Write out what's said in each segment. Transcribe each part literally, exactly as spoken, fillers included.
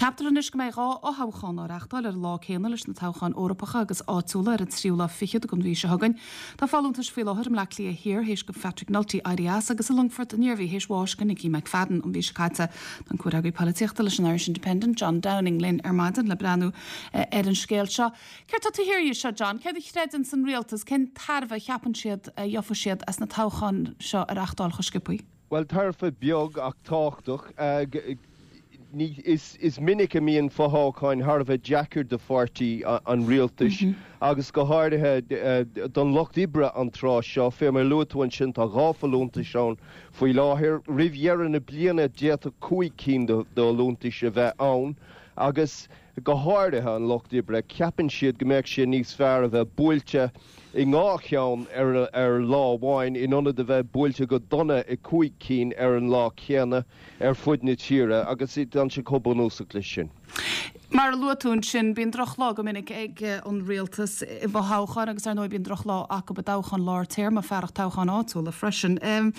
Ceaptar anois go mbeidh dhá fhothoghchán á reáchtáil ar an lá céanna leis na toghcháin Eorpacha agus áitiúla ar an tríú lá fichead den mhí seo chugainn. Tá folúntais faoi láthair i mBleá Cliath Thiar théis do Patrick Nulty éirí as agus i Longfort an Iarmhí théis bháis do Nicky McFadden an mhí seo caite. Tá an comhfhreagraí polaitíochta leis an Irish Independent John Downing linn ar maidin le breathnú eh, ar an scéal seo. Céard tá thiar seo John, céard a chreideann an rialtas cén tairbhe a cheapann siad a gheobhaidh siad as na toghcháin seo a reáchtáil chomh sciobtha. Well tairbhe beag ach tábhachtach uh, is, is minic a mbíonn fothoghcháin thar a bheith deacair do pháirtí an rialtais mm -hmm. agus go háirithe uh, don lucht oibre an tráth seo fé mar luaigh tú ansin tá dhá fholúntas ann faoi láthair roimh dheireadh na bliana d'fhéadfadh cúig cinn d'fholúntais a bheith ann agus go háirithe an lucht oibre ceapann siad go mbeadh sé níos fearr a bheith buailte i dhá cheann ar, ar lá amháin in ionad a bheith buailte go dona i cúig cinn ar an lá céanna ar fud na tíre agus tá sé chomh bunúsach leis sin. Mar a luaigh tú ansin bíonn drochlá go minic ag eh, an rialtas i bhfothoghcháin agus ar ndóigh bíonn drochlá acu i dtoghchán lár téarma fearacht toghchán áitiúla freisin. Um,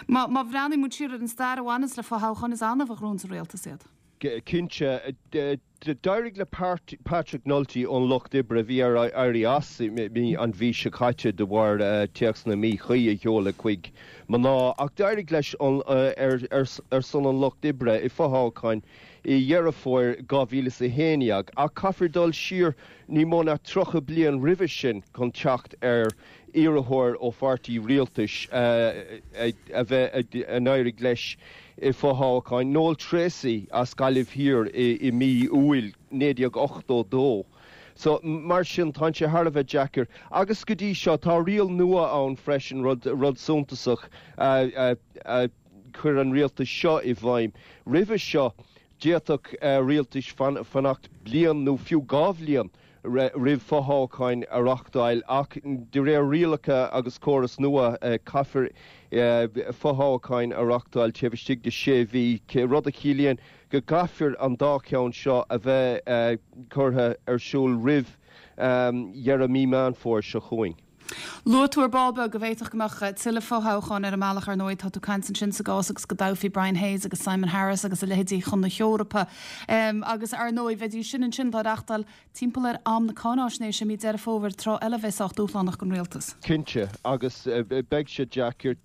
má, má bhreathnaíonn muid siar ar an stair a bhaineann le fothoghcháin is annamh a ghnóthaíonn an rialtas iad. Cinnte d'éirigh le Patrick Nulty ón lucht oibre bhí air éirí as an mhí seo caite de bharr uh, téacsanna míchuí a sheoladh chuig mná ach d'éirigh leis uh, ar, ar, ar son an lucht oibre i fothoghchán i Deireadh Fómhair dhá mhíle a haon déag ach caithfear dul siar ní mó ná tríocha bliain roimhe sin chun teacht ar iarrthóir ó pháirtí rialtais uh, a bheith a n-éirigh leis i fothoghchán Noel Treacy as Gaillimh Thiar i, i mí Iúil naoi déag ochtó dó. So mar sin tá sé thar a bheith deacair. Agus go dtí seo tá riail nua ann freisin rud, rud suntasach uh, uh, uh, chuir an rialtas seo i bhfeidhm. Roimhe seo d'fhéadfadh uh, rialtais fan, fanacht bliain nó fiú dhá bhliain roimh fothoghcháin a reáchtáil ach de réir rialacha agus córas nua uh, caithfear uh, fothoghcháin a reáchtáil taobh istigh de sé mhí rud a chiallaíonn go gcaithfear an dá cheann seo a bheith uh, curtha ar siúl roimh um, dheireadh mí Meán Fómhair seo chugainn. Luaigh tú ar ball beag go bhféadfadh go mbeadh tuilleadh fothoghchán ar an mbealach ar ndóigh tá tú ag caint ansin sa gcás agus go dtoghfaí Brian Hayes agus Simon Harris agus a leithéidí chun na hEorpa. Um, agus ar ndóigh bheidís sin ansin á reáchtáil timpeall ar am na cáinaisnéise mí Deireadh Fómhair tráth eile bheith sách dúshlánach don rialtas. Cinnte agus uh, beidh sé deacair.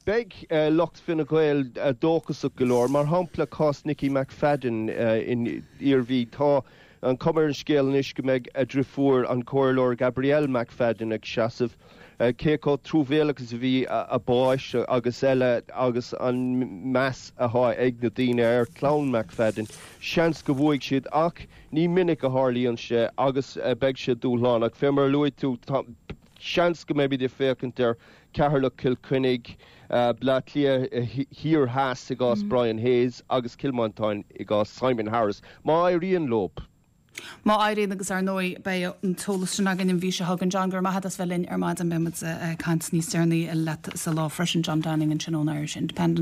Beidh uh, lucht Fine Gael uh, dóchasach go leor, mar shampla cás Nicky McFadden uh, in Iarmhí tá an chuma ar an scéal anois go mbeidh a deirfiúr an comhairleoir Gabrielle McFadden ag seasamh uh, cé chomh truamhéalach is a bhí a bás agus eile agus an meas atá ag na daoine ar chlann McFadden. Seans go bhfuaigh siad ach ní minic a tharlaíonn sé agus uh, beidh sé dúshlánach. Fé mar luaigh tú seans go mbeidh ag féachaint ar Ceatharlach Cill Chainnigh uh, Bleá Cliath Thiar Theas i gcás mm. Brian Hayes agus Cill Mhantáin i gcás Simon Harris. Má éiríonn leo. Má éiríonn agus ar ndóigh beidh an t-eolas sin againn an mhí seo chugainn John gur maith as bheith linn ar maidin beimid ag caint níos deireanaí leat sa lá freisin John Downing ansin ón Irish Independent.